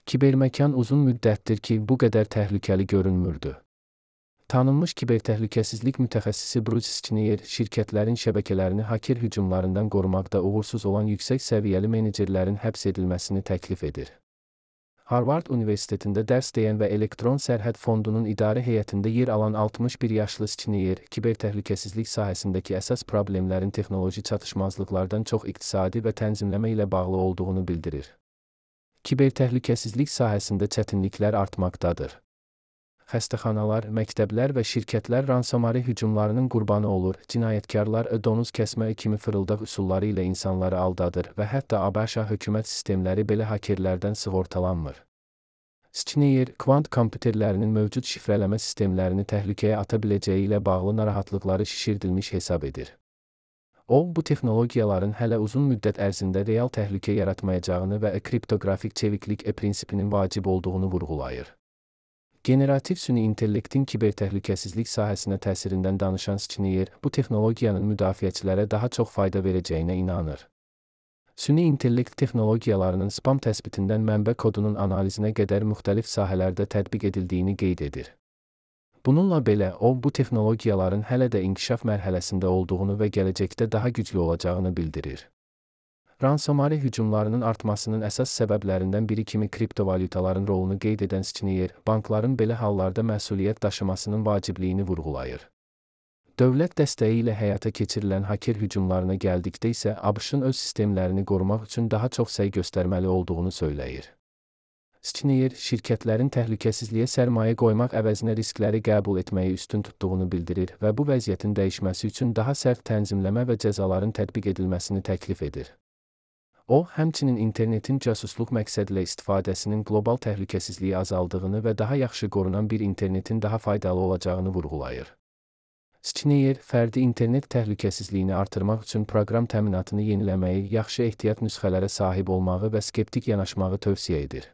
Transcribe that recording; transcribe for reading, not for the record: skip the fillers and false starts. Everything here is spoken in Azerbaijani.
Kiberməkan uzun müddətdir ki, bu qədər təhlükəli görünmürdü. Tanınmış kibertəhlükəsizlik mütəxəssisi Bruce Schneier, şirkətlərin şəbəkələrini haker hücumlarından qorumaqda uğursuz olan yüksək səviyyəli menecerlərin həbs edilməsini təklif edir. Harvard Universitetində dərs deyən və Elektron Sərhəd Fondunun idarə heyətində yer alan 61 yaşlı Schneier, kibertəhlükəsizlik sahəsindəki əsas problemlərin texnoloji çatışmazlıqlardan çox iqtisadi və tənzimləmə ilə bağlı olduğunu bildirir. Kibertəhlükəsizlik sahəsində çətinliklər artmaqdadır. Xəstəxanalar, məktəblər və şirkətlər ransomari hücumlarının qurbanı olur, cinayətkarlar donuz kəsmə kimi fırıldaq üsulları ilə insanları aldadır və hətta ABŞ hökumət sistemləri belə hakerlərdən sığortalanmır. Schneier, kvant kompüterlərinin mövcud şifrələmə sistemlərini təhlükəyə ata biləcəyi ilə bağlı narahatlıqları şişirdilmiş hesab edir. O, bu texnologiyaların hələ uzun müddət ərzində real təhlükə yaratmayacağını və kriptoqrafik çeviklik prinsipinin vacib olduğunu vurğulayır. Generativ süni intellektin kibertəhlükəsizlik sahəsinə təsirindən danışan Schneier, bu texnologiyanın müdafiəçilərə daha çox fayda verəcəyinə inanır. Süni intellekt texnologiyalarının spam təsbitindən mənbə kodunun analizinə qədər müxtəlif sahələrdə tətbiq edildiyini qeyd edir. Bununla belə, o, bu texnologiyaların hələ də inkişaf mərhələsində olduğunu və gələcəkdə daha güclü olacağını bildirir. Ransomari hücumlarının artmasının əsas səbəblərindən biri kimi kriptovalyutaların rolunu qeyd edən Schneier, bankların belə hallarda məsuliyyət daşımasının vacibliyini vurğulayır. Dövlət dəstəyi ilə həyata keçirilən haker hücumlarına gəldikdə isə ABŞ-ın öz sistemlərini qorumaq üçün daha çox səy göstərməli olduğunu söyləyir. Schneier, şirkətlərin təhlükəsizliyə sərmayə qoymaq əvəzinə riskləri qəbul etməyi üstün tutduğunu bildirir və bu vəziyyətin dəyişməsi üçün daha sərt tənzimləmə və cəzaların tətbiq edilməsini təklif edir. O, həmçinin internetin cəsusluq məqsədilə istifadəsinin qlobal təhlükəsizliyi azaldığını və daha yaxşı qorunan bir internetin daha faydalı olacağını vurğulayır. Schneier, fərdi internet təhlükəsizliyini artırmaq üçün proqram təminatını yeniləməyi, yaxşı ehtiyat nüsxələrə sahib olmağı və skeptik yanaşmağı tövsiyə edir.